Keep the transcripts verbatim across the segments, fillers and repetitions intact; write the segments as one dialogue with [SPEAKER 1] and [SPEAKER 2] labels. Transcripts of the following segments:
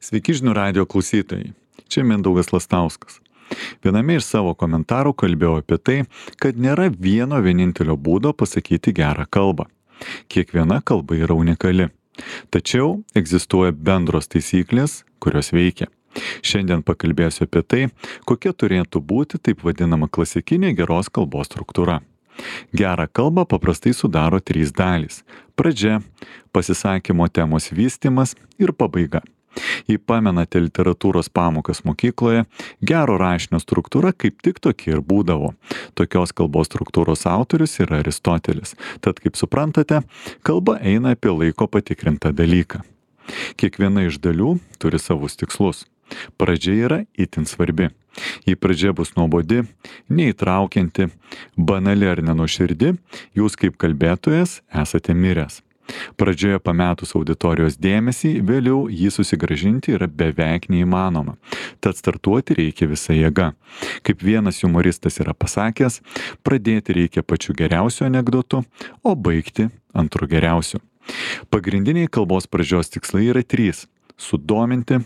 [SPEAKER 1] Sveiki žinių radijo klausytojai. Čia Mindaugas Lastauskas. Viename iš savo komentarų kalbėjau apie tai, kad nėra vieno vienintelio būdo pasakyti gerą kalbą. Kiekviena kalba yra unikali. Tačiau egzistuoja bendros taisyklės, kurios veikia. Šiandien pakalbėsiu apie tai, kokia turėtų būti taip vadinama klasikinė geros kalbos struktūra. Gerą kalbą paprastai sudaro trys dalys – pradžia, pasisakymo temos vystymas ir pabaiga. Jei pamenate literatūros pamokas mokykloje, gero rašinio struktūra kaip tik tokia ir būdavo. Tokios kalbos struktūros autorius yra Aristotelis. Tad, kaip suprantate, kalba eina apie laiko patikrintą dalyką. Kiekviena iš dalių turi savus tikslus. Pradžia yra itin svarbi. Jei pradžia bus nuobodi, neįtraukianti, banali ar nenuoširdi, jūs kaip kalbėtojas esate miręs. Pradžioje pametus auditorijos dėmesį, vėliau jį susigrąžinti yra beveik neįmanoma. Tad startuoti reikia visa jėga. Kaip vienas humoristas yra pasakęs, pradėti reikia pačiu geriausiu anekdotu, o baigti antru geriausiu. Pagrindiniai kalbos pradžios tikslai yra trys – sudominti,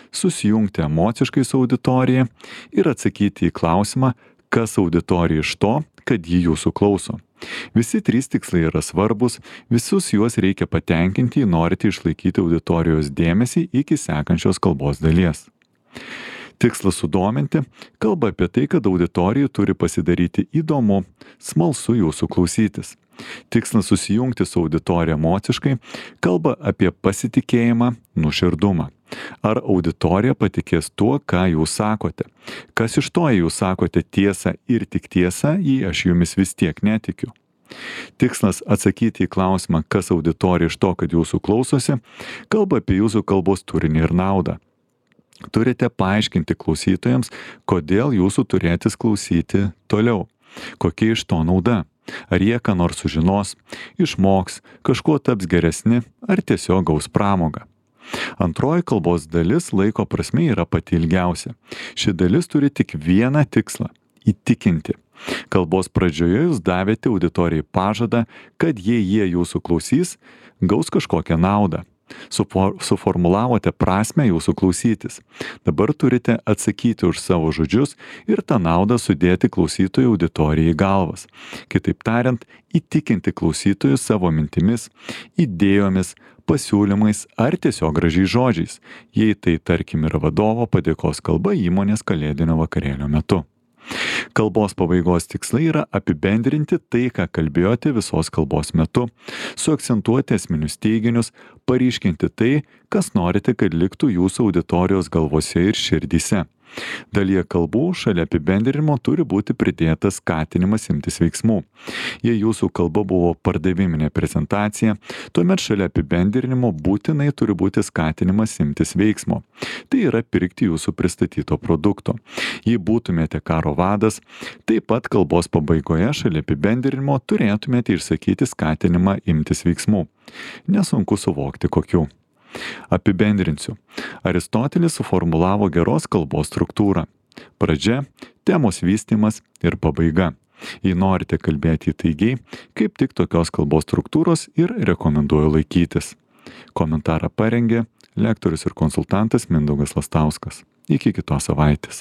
[SPEAKER 1] susijungti emociškai su auditorija ir atsakyti į klausimą, kas auditorija iš to, kad ji jūsų klauso. Visi trys tikslai yra svarbus, visus juos reikia patenkinti, jei norite išlaikyti auditorijos dėmesį iki sekančios kalbos dalies. Tikslas sudominti kalba apie tai, kad auditorija turi pasidaryti įdomu, smalsu jūsų klausytis. Tikslas susijungti su auditorija emociškai kalba apie pasitikėjimą, nuoširdumą. Ar auditorija patikės tuo, ką jūs sakote? Kas iš to, jei jūs sakote tiesą ir tik tiesą, jei aš jumis vis tiek netikiu? Tikslas atsakyti į klausimą, kas auditorija iš to, kad jūsų klausosi, kalba apie jūsų kalbos turinį ir naudą. Turite paaiškinti klausytojams, kodėl jūsų turėtis klausyti toliau. Kokia iš to nauda? Ar jie ką nors sužinos, išmoks, kažkuo taps geresni, ar tiesiog gaus pramogą? Antroji kalbos dalis laiko prasme yra pati ilgiausia. Ši dalis turi tik vieną tikslą – įtikinti. Kalbos pradžioje jūs davėte auditorijai pažadą, kad jei jie jūsų klausys, gaus kažkokią naudą. Sufor, suformulavote prasmę jūsų klausytis. Dabar turite atsakyti už savo žodžius ir tą naudą sudėti klausytojų auditorijai į galvas. Kitaip tariant, įtikinti klausytojus savo mintimis, idėjomis, pasiūlymais ar tiesiog gražiais žodžiais, jei tai tarkim yra vadovo padėkos kalba įmonės kalėdinio vakarėlio metu. Kalbos pabaigos tikslai yra apibendrinti tai, ką kalbėjote visos kalbos metu, suakcentuoti esminius teiginius, paryškinti tai, kas norite, kad liktų jūsų auditorijos galvose ir širdyse. Dalyje kalbų šalia apibendrinimo turi būti pridėtas skatinimas imtis veiksmų. Jei jūsų kalba buvo pardaviminė prezentacija, tuomet šalia apibendrinimo būtinai turi būti skatinimas imtis veiksmo. Tai yra pirkti jūsų pristatyto produkto. Jei būtumėte karo vadas, taip pat kalbos pabaigoje šalia apibendrinimo turėtumėte išsakyti skatinimą imtis veiksmų. Nesunku suvokti kokių. Apibendrinsiu. Aristotelis suformulavo geros kalbos struktūrą. Pradžia, temos vystymas ir pabaiga. Jei norite kalbėti įtaigiai, kaip tik tokios kalbos struktūros ir rekomenduoju laikytis. Komentarą parengė lektorius ir konsultantas Mindaugas Lastauskas. Iki kitos savaitės.